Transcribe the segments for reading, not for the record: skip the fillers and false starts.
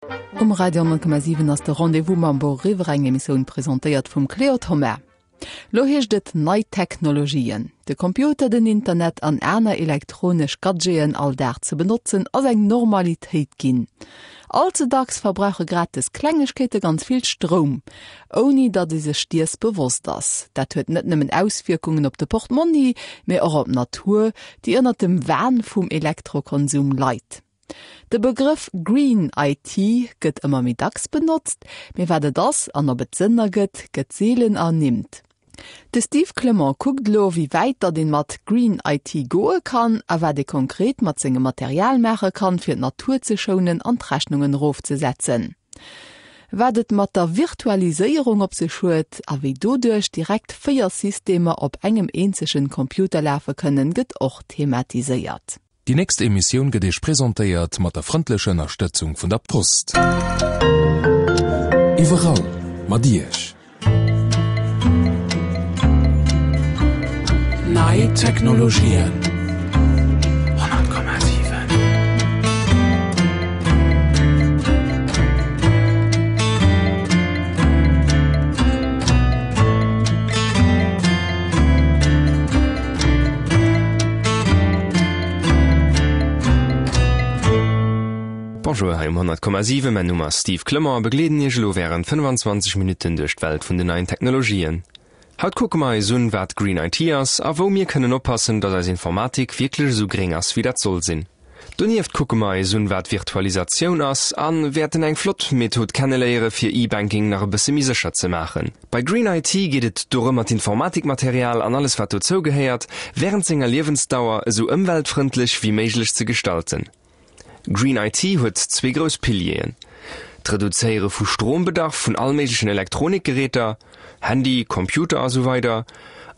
Um Radio 10,7 ass de Rendez-vous mam Beau Riwwer, eng Emissioun presentéiert vum Cléo Thoma. Lo heescht et nei Technologien. De Computer, den Internet an aner elektronesch Gadgeten all Dag ze benotzen ass eng Normalitéit ginn. All ze dacks verbrauche grad des Klengegkeete ganz vill Stroum, ouni datt ee sech diers bewosst ass. Dat huet net nëmmen Auswierkungen op de Portmonni, mee och op d'Natur, déi ënnert dem Wahn vum Elektrokonsum leit. De Begrëff Green IT gëtt ëmmer méi dacks benotzt, mee wat et ass an ob et Sënn ergëtt, gëtt seelen ernimmt. De Steve Clement kuckt elo, wéi wäit datt een mat Green IT goe kann a wat ee konkret mat sengem Material maache kann, fir d'Natur ze schounen an d'Rechnungen erofzesetzen. Wat et mat der Virtualiséierung op sech huet a wéi doduerch direkt 4 Systemer op engem eenzegen Computer lafe kënnen, gëtt och thematiséiert. Déi nächst Emissioun gëtt Iech presentéiert mat der frëndlecher Ënnerstëtzung vun der Post. Iwwerall mat Iech. Nei Technologien. 100,7. Bonjour hei um 100,7, mäin Numm ass Steve Clement a begleeden Iech elo wärend 25 Minutten duerch d'Welt vun den neien Technologien. Haut kucke mer eis un, wat Green IT ass a wou mir kënnen oppassen, dass eis Informatik wierklech esou gréng ass, wéi dat soll sinn. Donieft kucke mer eis un wat Virtualisatioun ass an wäerten eng flott Method kenneléiere fir E-Banking nach e bësse méi sécher ze maachen. Bei Green IT geet et dorëmmer d'Informatikmaterial an alles wat dozou gehéiert wärend senger Liewensdauer esou ëmweltfrëndlech wéi méiglech ze gestalten. Green IT huet zwee grouss Pilieren, d'Reduzéiere vu Strombedarf vun all méiglechen Elektronikgeräter, Handy, Computer a sou weider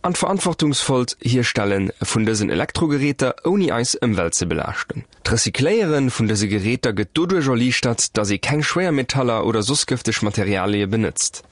an d'verantwortungsvollt Hierstelle vun dësen Elektrogeräter ouni eis Ëmwelt ze belaaschten. D'Recycléiere vun dëse Geräter gëtt doduerch erliichtert, dass ee keng Schwéiermetaller oder soss gëfteg Materialie benëtzt.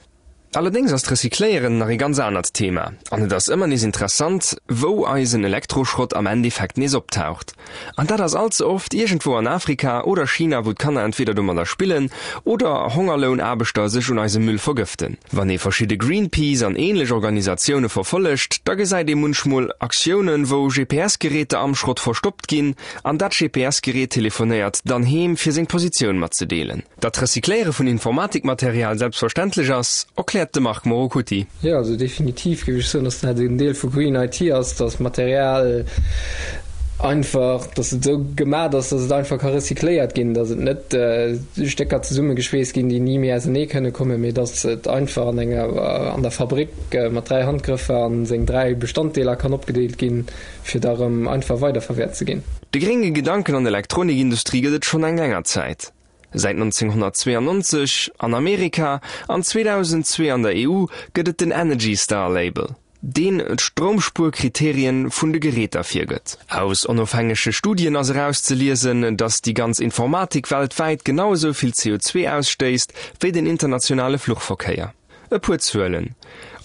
Allerdéngs ass d'Recycléieren nach ee ganz anert Thema an et ass ëmmer nees interessant, wou eisen Elektroschrott am Endeffekt nees optaucht. An dat ass all ze oft iergendwou an Afrika oder China, wou d'Kanner entweder domadder spillen oder Hongerlounaarbechter sech un eisem Müll vergëften. Wann ee verschidde Greenpeace an ähnlech Organisatioune verfollegt, da gesäit ee munchmol Aktiounen, wou GPS-Geräter am Schrott verstoppt ginn an dat GPS-Gerät telefonéiert dann heem, fir seng Positioun matzedeelen. Datt d'Recycléiere vun Informatikmaterial selbstverständlech ass, erkläert de Marc Morocutti. Jo, also definitiv géif ech soen, datt dat en Deel vu Green IT ass, datt Material einfach, datt et esou gemat ass, datt et einfach ka recycléiert ginn, datt et net Stécker zesummegeschweesst ginn, déi ni méi ausenee kënne kommen, mee datt et einfach an enger, an der Fabrick mat 3 Handgrëffer an seng 3 Bestanddeeler kann opgedeelt ginn, fir da rëm einfach weiderverwäert ze ginn. De grénge Gedanken an der Elektronikindustrie gëtt et schonn eng länger Zäit. Säit 1992 an Amerika an 2002 an der EU gëtt et den Energy Star Label, deen d'Stroumspuerkriterien vun de Geräter virgëtt. Aus onofhängege Studien ass erauszeliesen, datt déi ganz Informatik weltwäit genau esou vill CO2 ausstéisst wéi den internationale Fluchverkéier. E puer Zuelen,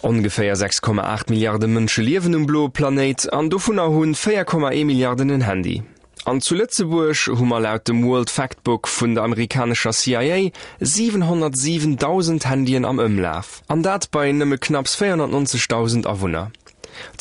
Ongeféier 6,8 Milliarde Mënsche liewen um bloe Planéit an dovunner hu 4,1 Milliarden en Handy. An zu Lëtzebuerg hu mer laut dem World Factbook vun der amerikanescher CIA 707.000 Handyen am Ëmlaf. An dat bei nëmme knapps 490.000 Awunner.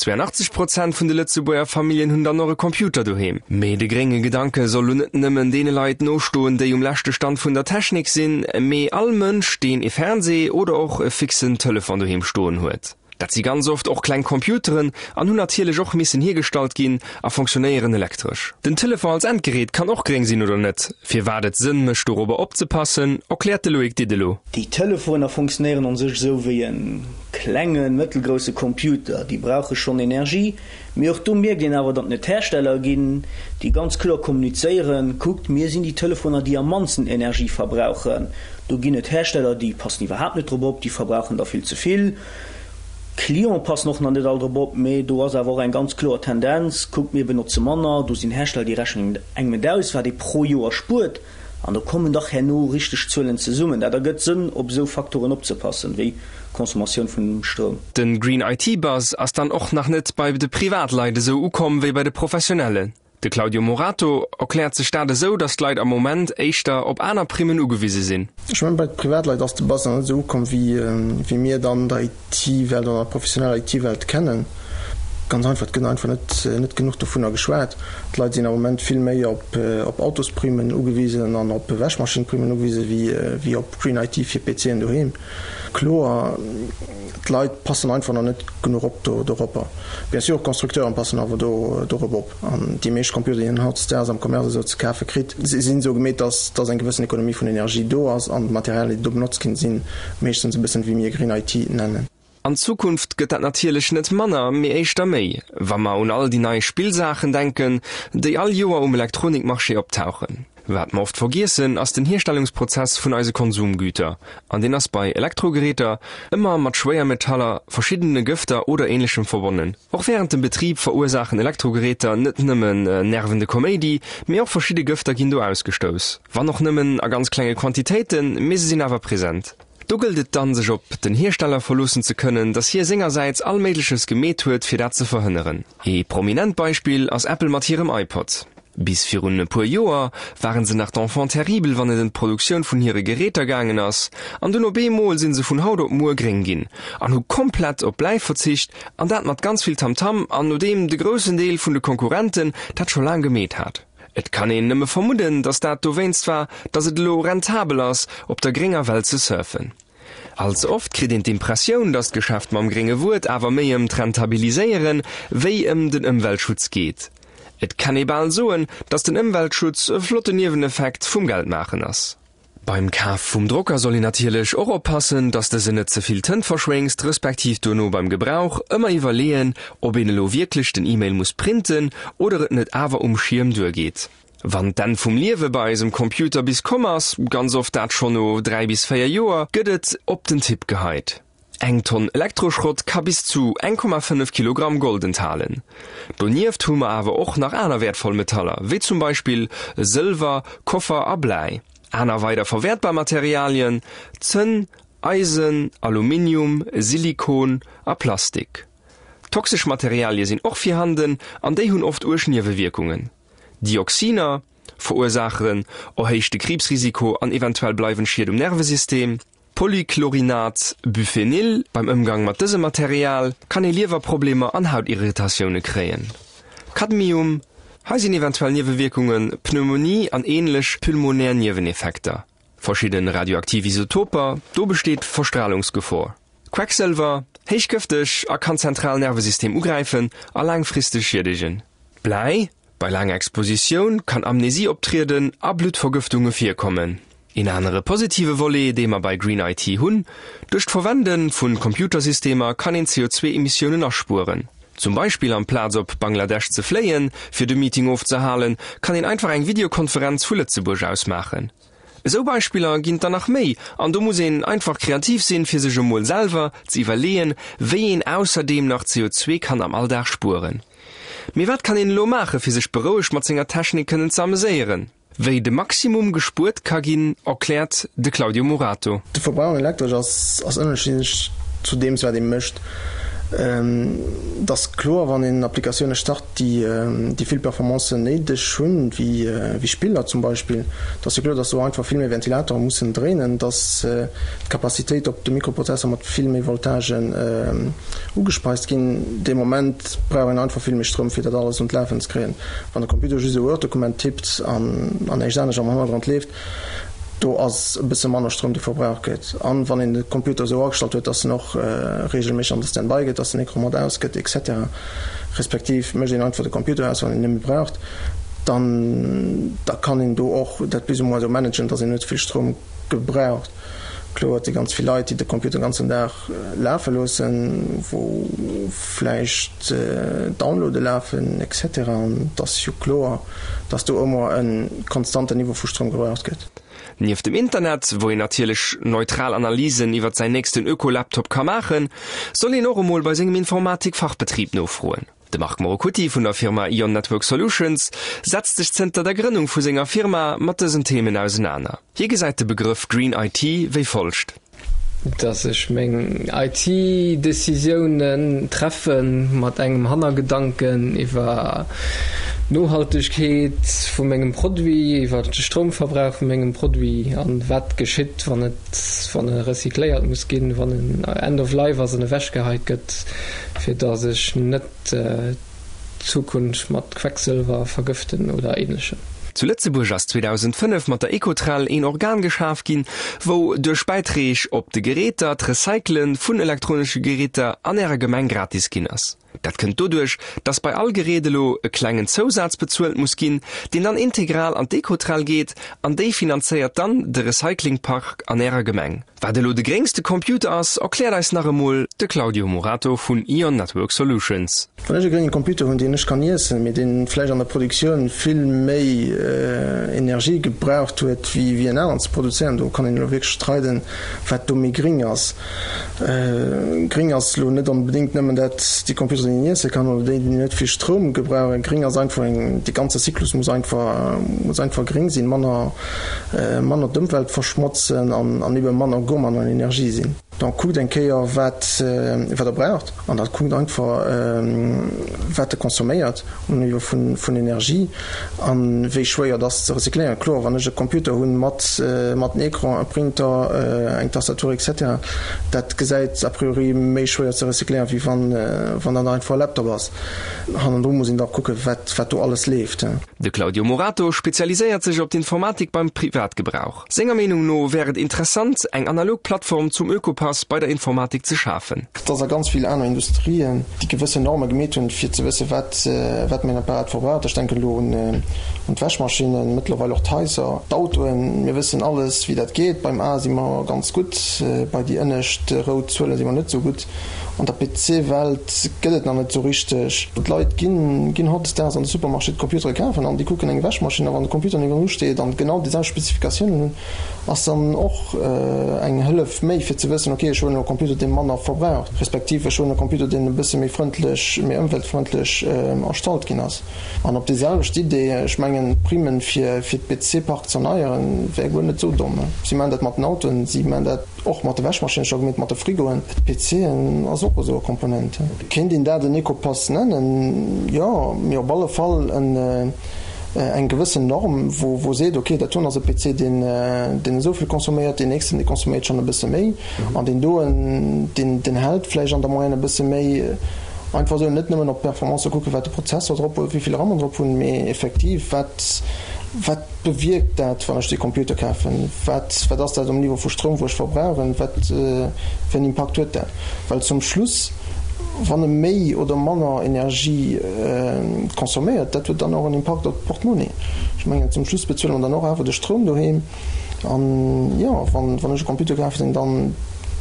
82 Prozent vun de Lëtzebuerger Familljen hunn dann och e Computer doheem. Mee de grénge Gedanke soll lo net nëmmen deene Leit nostoen, déi um leschte Stand vun der Technik sinn, mee all Mënsch, deen e Fernsee oder och e fixen Telefon doheem stoen huet. Dat si ganz oft och kleng Computeren an hunn natierlech och missen hiergestallt ginn a fonctionnéieren elektresch. Den Telefon als Endgerät kann och gréng sinn oder net. Firwat et Sënn mécht dorobber opzepassen, erkläert de Loïc Didelot. Déi Telefoner fonctionnéieren an sech esou wéi en klengen, mëttelgrousse Computer. Déi brauche schonn Energie, Mee och do mierkt een awer, datt et Hersteller ginn, déi ganz kloer kommunizéieren, Kuckt, mir sinn déi Telefoner, déi am mannsten Energie verbrauchen. Do ginn et Hersteller, déi passen iwwerhaapt net drop op, déi verbrauchen der vill ze vill. D'Clienten passen och nach net all drop op, mee do ass awer och eng ganz kloer Tendenz, Kuckt, mir benotze manner. Do sinn Hersteller, déi rechnen engem et aus, wat ee pro Joer spuert. An do kommen dach herno richteg Zuelen zesummen. Dat ergëtt Sënn, op esou Faktoren opzepassen, wéi Consommatioun vun Stroum. Den Green IT Buzz ass dann och nach net bei de Privatleit esou ukomm wéi bei de Professionellen. De Claudio Morato erkläert sech dat esou, datt d'Leit am Moment éischter op aner Primmen ugewise sinn. Ech mengen, bei de Privatleit ass de Buzz nach net esou ukomm, wéi mir et an der IT-Welt, an der professioneller IT-Welt kennen. Ganz einfach, et gëtt einfach net, net genuch dovunner geschwat. D'Leit sinn am Moment vill méi op, op Autosprimen ugewisen an op Wäschmaschinenprimen ugewisen, wéi, wéi op Green IT fir PCen doheem. Kloer, d'Leit passen einfach nach net genuch op do, doropper. Bien sûr, d'Constructeuren passen awer do, dorop op. An déi meescht Computer, déi een hautdesdaags am Commerce esou ze kafe kritt, sinn esou gemeet, dass, dass eng gewëssen Ekonomie vun Energie do ass an d'Materialien, déi do benotzt ginn, si meeschtens e bëssen, wéi mir Green IT nennen. An Zukunft gëtt dat natierlech net manner, mee éischter méi, wa mer un all déi nei Spillsaachen denken, déi all Joer um Elektronikmarché optauchen. Wat mer oft vergiessen, ass den Hierstellungsprozess vun eise Konsumgüter, an deen ass bei Elektrogeräter ëmmer mat Schwéiermetaller, verschiddene Gëfter oder Ähnlechem verbonnen. Och wärend dem Betrib verursaachen Elektrogeräter net nëmmen nervende Koméidi, mee och verschidde Gëfter ginn do ausgestouss, wann och nëmmen a ganz klenge Quantitéiten, mee se sinn awer present. Do gëllt et dann, sech op den Hiersteller verloossen ze kënnen, dass hie sengersäits all Méigleches gemeet huet, fir dat ze verhënneren. Ee prominent Beispill ass Apple mat hirem iPod. Bis virun e puer Joer waren se nach d'Enfants terribles wann et ëm d'Produktioun vun hire Geräter gaangen ass, an dunn op eemol sinn se vun haut op muer gréng ginn an hu komplett op Bläi verzicht, an dat mat ganz vill Tamtam an nodeem de groussen Deel vun de Konkurrenten dat scho laang gemeet hat. Et kann een nëmme vermudden, datt dat dowéinst war, datt et elo rentabel ass op der grénger Well ze surfen. All ze oft kritt een d'Impressioun, datt d'Geschäft mam grénge Wuert awer méi ëm d'Rentabiliséiere wéi ëm den Ëmweltschutz geet. Et kann ee bal soen, datt den Ëmweltschutz e flotten Nieweneffekt vum Geldmaachen ass. Beim Kaf vum Drocker soll een natierlech och oppassen, datt dësen net ze vill Tënt verschwéngst, respektiv duerno beim Gebrauch ëmmer iwwerleeën, ob een elo wierklech den E-Mail muss printen oder et net awer um Schierm duergeet. Wann d'Enn vum Liewe bei eisem Computer bis komm ass, ganz oft dat schonn no 3 bis 4 Joer, gëtt et op den Tipp geheit. Eng Tonn Elektroschrott ka bis zu 1,5 Kilogramm Gold enthalen. Donieft hu mer awer och nach aner wäertvoll Metaller, wéi zum Beispill Sëlwer, Koffer a Bläi. Aner weider verwäertbar Materialien, Zënn, Eisen, Aluminium, Silikon a Plastik. Toxesch Materialie sinn och virhanden an déi hunn oft uerg Niewewierkungen. Dioxiner verursaachen erhéichte Kriibsrisiko an eventuell bleiwend Schied um Nervesystem. Polychlorinat Biphenyl, beim Ëmgang mat dësem Material kann ee Liewerproblemer an Hautirritatioune kréien. Cadmium, hei sinn eventuell Niewewierkunge Pneumonie an änlech pulmonär Nieweneffekter. Verschidde radioaktiv Isotoper, do besteet Verstralungsgefor. Quecksëlwer, héich gëfteg a kann d'zentral Nervesystem ugräifen a laangfristeg schiedegen. Bläi, bei laanger Expositioun kann Amnesie optrieden a Bluttvergëftunge virkommen. Een anere positive Volet, dee mer bei Green IT hunn, Duerch d'Verwende vu Computersystemer kann een CO2-Emissiounen aspueren. Zum Beispill amplaz op Bangladesch ze fléien, fir de Meeting ofzehalen, kann een einfach eng Videokonferenz vu Lëtzebuerg aus maachen. Esou Beispiller ginn et der nach méi an do muss een einfach kreativ sinn, fir sech emol selwer ze iwwerleeën, wéi een ausserdeem nach CO2 kann am Alldag spueren. Mee wat kann een elo maache fir sech berouegt mat senger Technik kënnen ze ameséieren? Wéi de Maximum gespuert ka ginn, erkläert de Claudio Murato. De Verbrauch un Elektresch ass ënnerschiddlech zu deems wat ee mécht. Et ass kloer, wann een Applikatioune start, déi vill Performancen néideg hunn, wéi Spiller zum Beispill, et ass jo kloer, datt do einfach vill méi Ventilatore mussen dréinen, datt d'Capacitéit op de Mikroprozessor mat vill méi Voltagen ugespeist ginn. Dee Moment brauch een einfach vill méi Stroum, fir dat alles un d'Lafen ze kréien. Wann de Computer just e Word-Dokument tippt an näischt anescht am Hannergrond leeft, Do ass e bësse manner Stroum, dee verbraucht gëtt. An wann een de Computer esou agestallt huet, dass en och reegelméisseg an de Standby gëtt, dass den Ecran mat aus gëtt, etc. Respektiv mécht een einfach de Computer aus, wann een en net méi braucht, dann da kann een do och dat plus ou moins esou managen, dass een net vill Stroum gebraucht. Kloer, et si ganz vill Leit, déi de Computer den ganzen Dag lafe loossen, wou vläicht Downloade lafen, etc. An et ass jo kloer, dass do ëmmer e konstanten Niveau vu Stroum gebraucht gëtt. Nieft dem Internet, wou een natierlech neutral Analysen iwwert säin nächsten Öko-Laptop ka maachen, soll een och emol bei sengem Informatik-Fachbetrib nofroen. De Marc Morocutti vun der Firma Ion Network Solutions setzt sech zënter der Grënnung vu senger Firma mat dësen Themen ausenaner. Hie gesäit de Begrëff Green IT wéi folgt. Dass ech meng IT-Decisiounen treffe mat engem Hannergedanken iwwer. d'Nohaltegkeet vu mengem Produit, iwwer de Stroumverbrauch vu mengem Produit an wat geschitt, wann et, wann e recycléiert muss ginn, wann en End of Life ass an ewechgeheit gëtt, fir datt ech net d'Zukunft mat Quecksëlwer vergëften oder Ähnlechem. Zu Lëtzebuerg ass 2005 mat der Ecotrel een Organ geschaf ginn, wou duerch Bäitreeg op de Geräter d'Recyclen vun elektronesche Geräter an ärer Gemeng gratis ginn ass. Dat kënnt doduerch, dass bei all Gerät elo e klengen Zousaz bezuelt muss ginn, deen dann integral an d'Ecotrel geet an déi finanzéiert dann de Recyclingpark an ärer Gemeng. Wat elo de gréngste Computer ass, erkläert eis nach emol de Claudio Morato vun Ion Network Solutions. Wann ech e grénge Computer hunn, deen ech kann iessen, mee deen vläicht an der Produktioun vill méi Energie gebraucht huet wéi en aneren ze produzéieren, do kann een elo wierklech streiden, wat do méi gréng ass. Gréng ass elo net onbedéngt nëmmen dat, déi Computeren, déi een iesse kann oder déi, déi net vill Stroum gebrauchen. Gréng ass einfach eng, dee ganze Zyklus muss einfach, muss einfach gréng sinn, manner, manner d'Ëmwelt verschmotzen an ebe manner gourmand an Energie sinn. Donc kuckt eng Kéier wat wat der braucht an da kuckt einfach wat der consomméiert um Niveau vun vun Energie an wéi schwéier et ass ze recycléieren. Kloer wann ech e Computer hunn mat mat en Ecran, e Printer, eng Tastatur etc. Dat gesäit a priori méi schwéier ze recycléieren wéi wann wann dat einfach e Laptop ass. Hannendru muss een da kucke wat wat do alles leeft. De Claudio Morato spezialiséiert sech op d'Informatik beim Privatgebrauch. Senger Meenung no wär et interessant, eng analog Plattform zum Ökopass bei der Informatik ze schafen. Et ass a ganz vill aner Industrien, déi gewëssen Norme gemeet hunn, fir ze wëssen, wat wat mäin Apparat verbraucht. Ech denken elo un d'Wäschmaschinnen, mëttlerweil och d'Haiser, d'Autoen. Mir wëssen alles, wéi dat geet. Beim A si mer ganz gutt, bei déi ënnescht rout Zuele si mer net esou gutt. An der PC-Welt gëtt et nach net esou richteg. D'Leit ginn ginn hautdesdaags an de Supermarché d'Computere kafen an déi kucken eng Wäschmaschinn a wann de Computer niewendru steet an genau déi selwecht Spezifikatiounen hunn, ass dann och eng Hëllef méi fir ze wëssen, ok ech huelen elo e Computer dee manner verbraucht, respektiv ech huelen e Computer deen e bësse méi frëndlech, méi ëmweltfrëndlech erstallt ginn ass. An op déi selwecht Idee, ech mengen d'Primen fir fir d'PC-Park z'erneieren wär guer net esou domm. Si maachen dat mat den Autoen, si maachen dat. Och mat de Wäschmaschinen, ech hu gemengt mat de Frigoen, d'PCen ass och esou e Komponent. Kéint een dat en Ecopass nennen? Jo, mee op alle Fall eng gewëssen Norm, wou seet, ok, dat doen ass e PC, deen esou vill consomméiert, deen nächsten, dee consomméiert schonn e bësse méi an deen doen, deen hält vläicht an der Moyenne e bësse méi. Einfach esou, net nëmmen op d'Performance kucken, wat de Prozessor drop huet, wéi vill RAM en drop hunn, mee effektiv, wat, wat bewierkt dat, wann ech dee Computer kafen? Wat, wat ass dat um Niveau vu Stroum, wou ech verbrauchen? Wat fir en Impakt huet dat? Well zum Schluss, wann e méi oder manner Energie consomméiert, dat huet dann och en Impakt op d'Portmonnie. Ech mengen, zum Schluss bezuele mer dann och awer de Stroum doheem. An jo, wann, wann ech e Computer kaf hätt, deen dann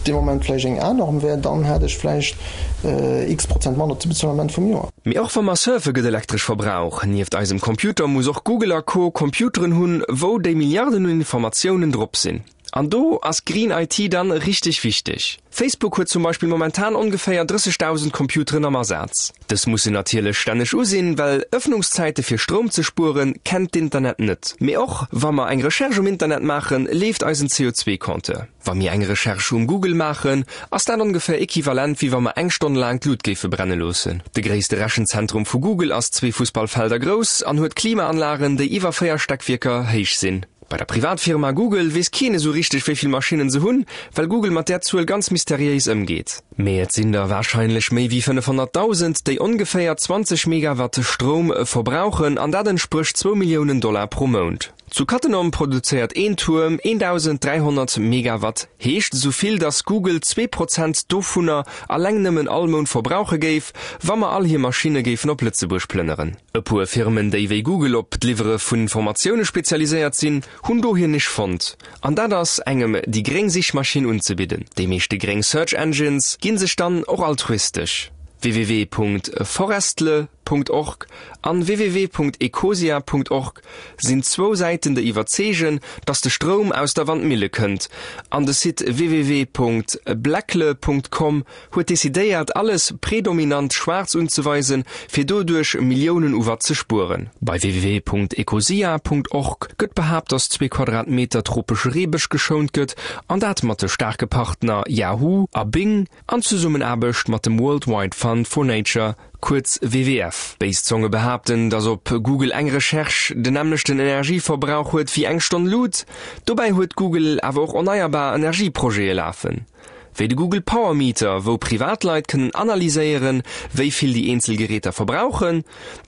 dee Moment vläicht eng A-Norm wär, dann hätt ech vläicht x Prozent manner ze bezuelen am Enn vum Joer. Mee och wa mer surfe gëtt elektresch Verbrauch. Nieft eisem Computer muss och Google a Co. Computeren hunn, wou déi Milliarden un Informatiounen drop sinn. An do ass Green IT dann richteg wichteg. Facebook huet zum Beispill momentan ongeféier 30.000 Computeren am Asaz. Dës mussen natierlech stänneg u sinn, well Ëffnungszäite fir Stroum ze spueren kennt d'Internet net. Mee och wa mer eng Recherche um Internet maachen, leeft eisen CO2-Compteur. Wa mir eng Recherche um Google maachen, ass dat ongeféier equivalent wéi wa mer eng Stonn laang d'Lut géife brenne loossen. De gréisste Rechenzentrum vu Google ass zwee Fussballfelder grouss an huet Klimaanlagen, déi iwwer 4 Steckwierker héich sinn. Bei der Privatfirma Google weess keen esou richteg wéi vill Maschinnen se hunn, well Google mat där Zuel ganz mysteriéis ëmgeet. Mee et sinn der warscheinlech méi wéi 500.000, déi ongeféier 20 Megawatt Stroum verbrauchen an dat entsprécht zwou Milliounen Dollar pro Mount. Zu Cattenom produzéiert een Tuerm 1.300 Megawatt, heescht esou vill, datt Google 2% dovunner alleng nëmmen all Mount verbrauche géif, wa mer all hir Maschinne géifen op Lëtzebuerg plënneren. E puer Firmen, déi wéi Google op d'Liwwere vun Informatioune spezialiséiert sinn, hunn do hir Nisch fonnt, an dat ass, engem déi gréng Sichmaschinn unzebidden. Déi meeschte gréng Search Engines gi sech dann och altruistesch, www.forestle. Org an www.ecosia.org sinn zwou Säiten déi iwwerzeegen, dass de Stroum aus der Wandmille kënnt an de Site www.blackle.com huet decidéiert alles predominant schwaarz unzeweisen fir doduerch Milliounen u Watt ze spueren. Bei www.ecosia.org gëtt behaapt, dass zwee Quadratmeter tropesche Reebësch geschount gëtt an dat mat de staarke Partner Yahoo a Bing an Zesummenaarbecht mat dem World Wide Fund for Nature. Kuerz WWF. Béis Zonge behaapten, datt op Google eng Recherche den nämmlechten Energieverbrauch huet wéi eng Stonn Lut. Dobäi huet Google awer och erneierbar Energieprojete lafen. Wéi de Google Power Meter, wou Privatleit kënnen analyséieren, wéi vill déi eenzel Geräter verbrauchen.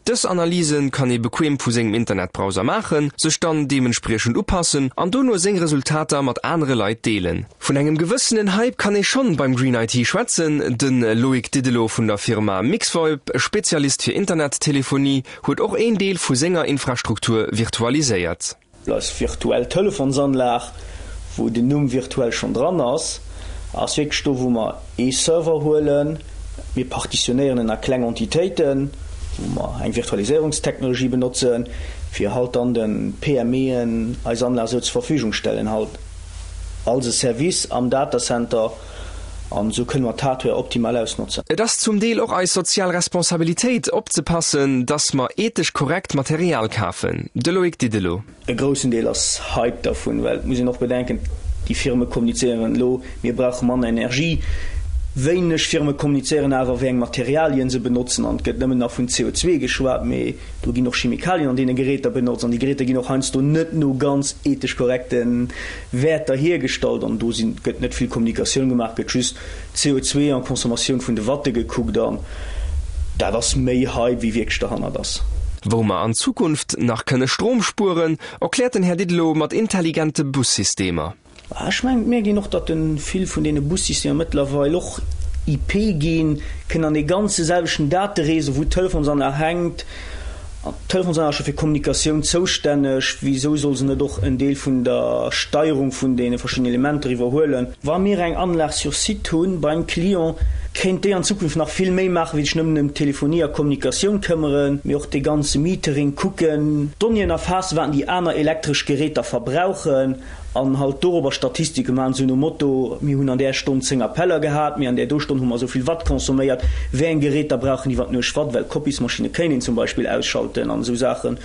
Dës Analyse kann ee bequem vu sengem Internetbrowser maachen, sech dann deementspriechend upassen an dono seng Resultater mat anere Leit deelen. Vun engem gewëssenen Hype kann ee schonn beim Green IT schwätzen. De Loïc Didelot vun der Firma Mixvoip, Spezialist fir Internettelefonie, huet och een Deel vu senger Infrastruktur virtualiséiert. Eis virtuell Telefonsanlag, wou den Numm virtuell schonn dran ass, ass wierklech do, wou mer ee Server huelen, mir partitionéieren en a kleng Entitéiten, wou mer eng Virtualiséierungstechnologie benotzen, fir halt dann de PMEen eis Anlag esou zur Verfügung stellen, halt als e Service am Datacenter. An esou kënne mer d'Hardware optimal ausnotzen. Et ass zum Deel och eis sozial Responsabilitéit, opzepassen, dass mer ethesch korrekt Material kafen. De Loïc Didelot. E groussen Deel ass Hype dervun, well et muss een och bedenken, déi Firme kommunizéieren elo, mir brauche manner Energie. Wéineg Firme kommunizéieren awer, wéi eng Materialien se benotzen an et gëtt nëmmen nach vun CO2 geschwat, mee do ginn och Chemikalien an deene Geräter benotzt an déi Geräter ginn och heiansdo net no ganz ethesch korrekte Wäerter hiergestallt an do sinn, gëtt net vill Kommunikatioun gemaach, gëtt just CO2 an Consommatioun vun de Watte gekuckt an dat ass méi Hype wéi wierklech derhannert ass. Wou mer an Zukunft nach kënne Strom spueren, erkläert den Här Didelot mat intelligente Bussystemer. Ech mengen, et mierkt een och, datt vill vun deene Bussystemer mëttlerweil och IP ginn, kënnen an dee ganze selwechten Dateréseau, wou d'Telefonsanlag hänkt, D'Telefonsanlag ass scho fir Kommunikatioun zoustänneg, wisou soll se net och en Deel vun der Steierung vun deene verschiddenen Elementer iwwerhuelen? Wa mir eng Anlag sur site hu beim Client, kéint déi an Zukunft nach vill méi maachen, wéi sech nëmmen ëm Telefonie a Kommunikatioun këmmeren, mee och dee ganze Metering kucken, Donnéeën erfaassen, wat déi aner elektresch Geräter verbrauchen. An halt dorobber Statistike maachen, esou nom Motto, mir hunn an där Stonn 10 Appeller gehat, mee an där do Stonn hu mer esou vill Watt consomméiert, wéi eng Geräter brauchen iwwer d'Nuecht Watt, well d'Kopismaschinne kéint een zum Beispill ausschalten an esou Saachen.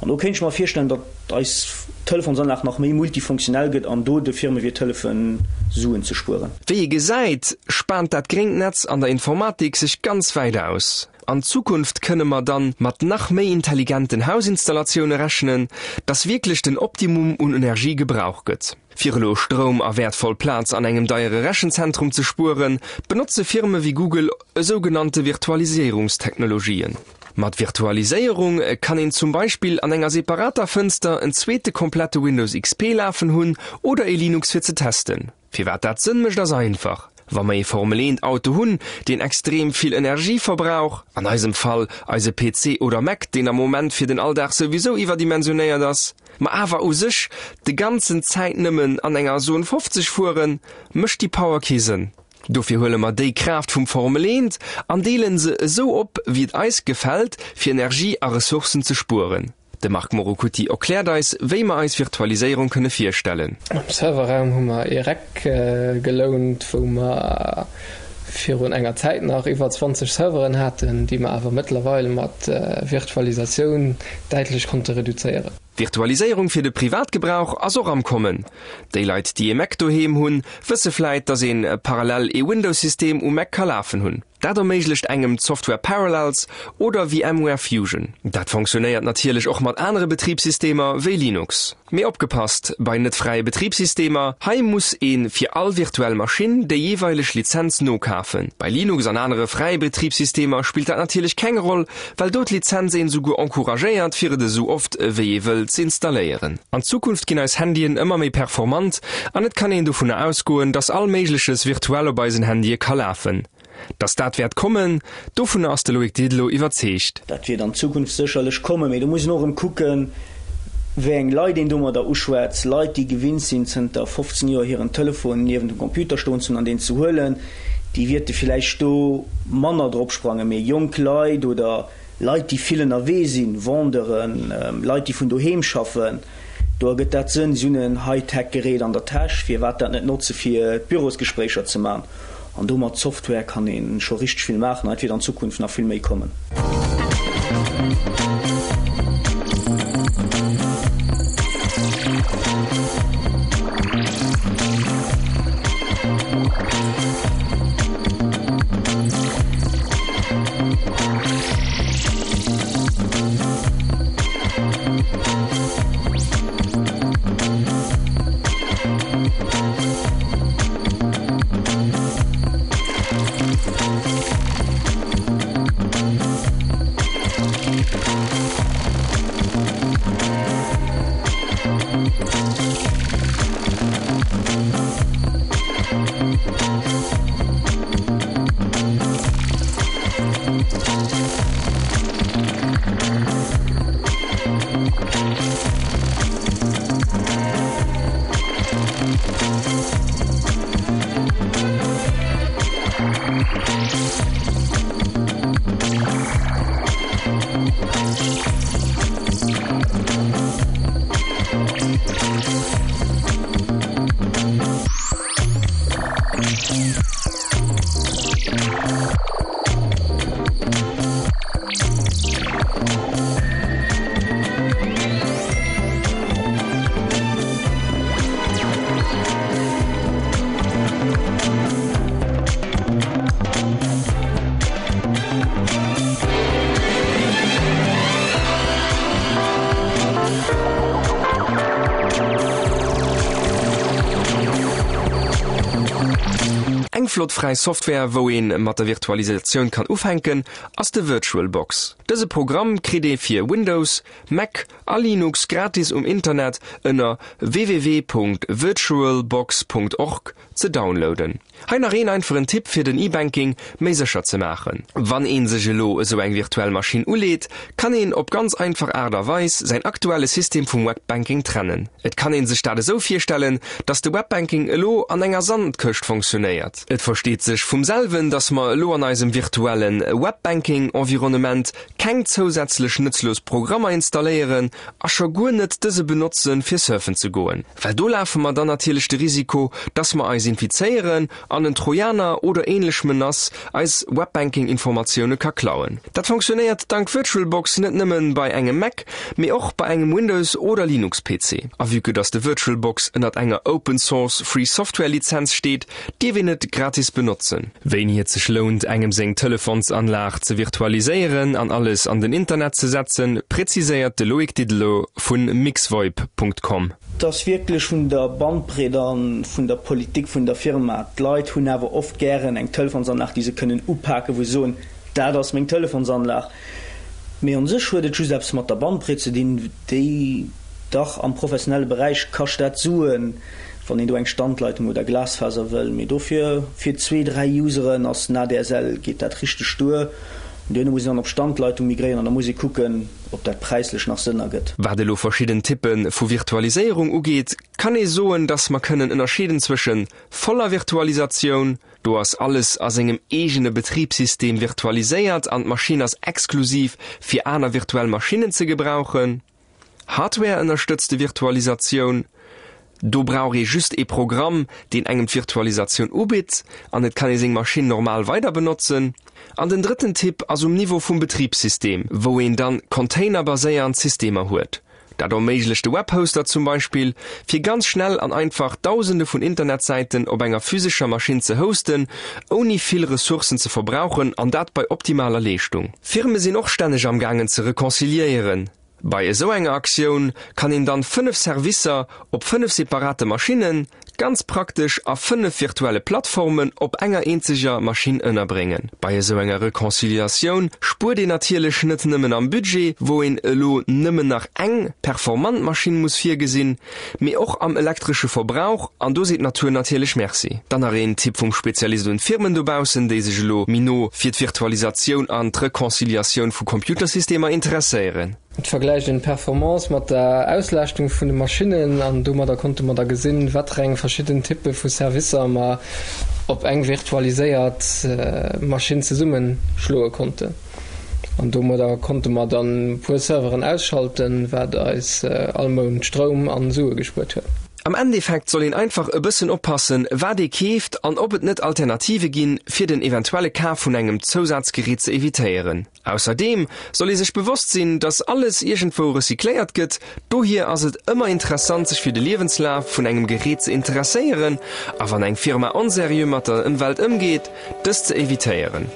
An do kéint ech mer virstellen, datt eis Telefonsanlag nach méi multifunktionell gëtt an do de Firme wäert hëllefen, Suen ze spueren. Wéi ee gesäit, spaant dat gréngt Netz an der Informatik sech ganz wäit aus. An Zukunft kënne mer dann mat nach méi intelligenten Hausinstallatioune rechnen, dass wierklech den Optimum un Energie gebrauch gëtt. Fir elo Stroum a wäertvoll Plaz an engem deiere Rechenzentrum ze spueren, benotze Firme wéi Google esougenannte Virtualiséierungstechnologien. Mat Virtualiséierung kann een zum Beispill an enger separater Fënster en zweete komplette Windows XP lafen hunn oder ee Linux fir ze testen. Firwat dat Sënn mécht ass einfach, Wa mer ee Formel 1 Auto hunn, deen extrem vill Energie verbrauch, an eisem Fall eise PC oder Mac, deen am Moment fir den Alldag souwisou iwwerdimensionéiert ass, ma awer u sech de ganzen Zäit nëmmen an enger Zone 50 fueren, mécht déi Power kee Sënn. Dofir huele mer déi Kraaft vum Formel 1 an deelen se esou op, wéi et eis gefält, fir Energie a Ressourcen ze spueren. De Marc Morocutti erkläert eis, wéi mer eis Virtualiséierung kënne virstellen. Am Serverraum hu mer ee Rack gelount, wou mer virun enger Zäit nach iwwer 20 Serveren haten, déi mer awer mëttlerweil mat Virtualisatioun däitlech konnte reduzéieren. Virtualiséierung fir de Privatgebrauch ass och am Kommen. Déi Leit, déi ee Mac doheem hunn, wësse vläit, dass een parallel ee Windows-System um Mac ka lafen hunn. Dat erméiglecht engem d'Software Parallels oder VMware Fusion. Dat fonctionnéiert natierlech och mat anere Betribssystemer wéi Linux. Mee opgepasst bei net fräie Betribssystemer, hei muss ee fir all virtuell Maschinn déi jeeweileg Lizenz nokafen. Bei Linux an anere fräie Betribssystemer spillt dat natierlech keng Roll, well do d'Lizenz een souguer encouragéiert fir et esou oft ewéi ee wëll z'installéieren. An Zukunft ginn eis Handyen ëmmer méi performant an et kann een dovunner ausgoen, dass all Méigleches virtuell op eisen Handye ka lafen. Dass dat wäert kommen, dovunner ass de Loïc Didelot iwwerzeegt. Dat wäert an Zukunft sécherlech kommen, mee do muss een och erëm kucken, wéi eng Leit een domadder uschwätzt. Leit, déi gewinnt sinn, zënter 15 Joer hiren Telefon niewent dem Computer stoen ze hunn an deen ze huelen, déi wierte villäicht do manner drop sprangen. Mee jonk Leit oder Leit, déi vill ënnerwee sinn, Vendeuren, Leit, déi vun doheem schaffen, Do ergëtt dat Sënn, si hunn en High-Tech-Gerät an der Täsch, firwat dat net notze fir Bürosgespréicher ze man? An do mat Software kann ee scho richteg vill maachen an et wäert an Zukunft nach vill méi kommen. Eng flott fräi Software wou een mat der Virtualisatioun kann ufänken ass de VirtualBox. Dëse Programm kritt ee fir Windows, Mac a Linux gratis um Internet ënner www.virtualbox.org ze downloaden. Hei nach een einfachen Tipp fir den E-Banking méi sécher ze maachen. Wann een sech elo esou eng virtuell Maschinn uleet, kann een op ganz einfach Aart a Weis säin aktuelle System vum Webbanking trennen. Et kann een sech dat esou virstellen, dass de Webbanking elo an enger Sandkëscht fonctionnéiert. Et versteet sech vum selwen, dass mer elo an eisem virtuellen Webbanking-Environnement keng zousätzlech nëtzlos Programmer installéieren a scho guer net dëse benotzen fir surfen ze goen, well do lafe mer dann natierlech de Risiko, dass mer eis infizéieren an en Trojaner oder ähnlech Menace eis Webbanking-Informatioune ka klauen. Dat fonctionnéiert dank VirtualBox net nëmmen bei engem Mac, mee och bei engem Windows oder Linux-PC. A vue que dass de VirtualBox ënnert enger Open Source Free Software Lizenz steet, dierf een et gratis benotzen. Wéini et sech lount engem seng Telefonsanlag ze virtualiséieren an alles an den Internet ze setzen, präziséiert de Loïc Didelot vun mixvoip.com. Et ass wierklech vun der Bandbreet a vun der Politik vun der Firma. D'Leit hunn awer oft gären eng Telefonsanlag, déi se kënnen upaken, wou se soen, dat ass meng Telefonsanlag. Mee an sech huet et just eppes mat der Bandbreet ze dinn, déi dach am professionelle Beräich kascht dat Suen, wann een do eng Standleitung oder Glasfaser wëll. Mee dofir fir zwee, dräi Useren ass den ADSL, geet dat richteg duer. An duerno muss een dann op Standleitung migréieren an da muss ee kucken, ob dat präislech nach Sënn ergëtt. Wat elo verschidden Typpe vu Virtualiséierung ugeet, kann ee soen, dass mer kënnen ënnerscheeden zwësche voller Virtualisatioun, do ass alles a sengem eegene Betribssystem virtualiséiert an d'Maschinn ass exklusiv fir aner virtuell Maschinnen ze gebrauchen, Hardware-ënnerstëtzte Virtualisatioun, do brauch ee just ee Programm, deen engem d'Virtualisatioun ubitt an et kann ee seng Maschinn normal weider benotzen. An den drëtten Typ ass um Niveau vum Betribssystem, wou een dann containerbaséiernd Systemer huet. Dat erméiglecht de Webhoster zum Beispill, fir ganz schnell an einfach Dausende vun Internetsäiten op enger physescher Maschinn ze hosten, ouni vill Ressourcen ze verbrauchen an dat bei optimaler Leeschtung. Firme sinn och stänneg am gaangen ze reconciliéieren. Bei esou enger Aktioun kann een dann 5 Servicer op 5 separate Maschinnen, ganz praktesch a 5 virtuelle Plattformen op enger eenzeger Maschinn ënnerbréngen. Bei esou enger Reconciliatioun spuert een natierlech net nëmmen am Budget, wou een elo nëmmen nach eng performant Maschinn muss virgesinn, mee och am elektresche Verbrauch, an do seet d'Natur natierlech Merci. Dann nach een Tipp vum Spezialist un d'Firmen dobaussen, déi sech elo méi no fir d'Virtualisatioun an d'Reconciliatioun vu Computersystemer interesséieren. Et vergläicht een d'Performance mat der Auslaaschtung vun de Maschinnen an domadder konnte mer da gesinn, wat reng verschidden Typpe vu Servicer mer op eng virtualiséiert Maschinn zesummeschloe konnten. An domadder konnte mer dann e puer Serveren ausschalten, wat eis all Mount Stroum an Sue gespuert huet. Am Endeffekt soll een einfach e bëssen oppassen, wat ee keeft an ob et net Alternative ginn, fir den eventuelle Kaf vun engem Zousazgerät ze evitéieren. Ausserdeem soll ee sech bewosst sinn, dass alles iergendwou recycléiert gëtt, dohier ass et ëmmer interessant sech fir de Liewenslaf vun engem Gerät ze interesséieren a wann eng Firma onseriö mat der Ëmwelt ëmgeet, dës ze evitéieren.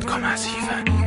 100,7.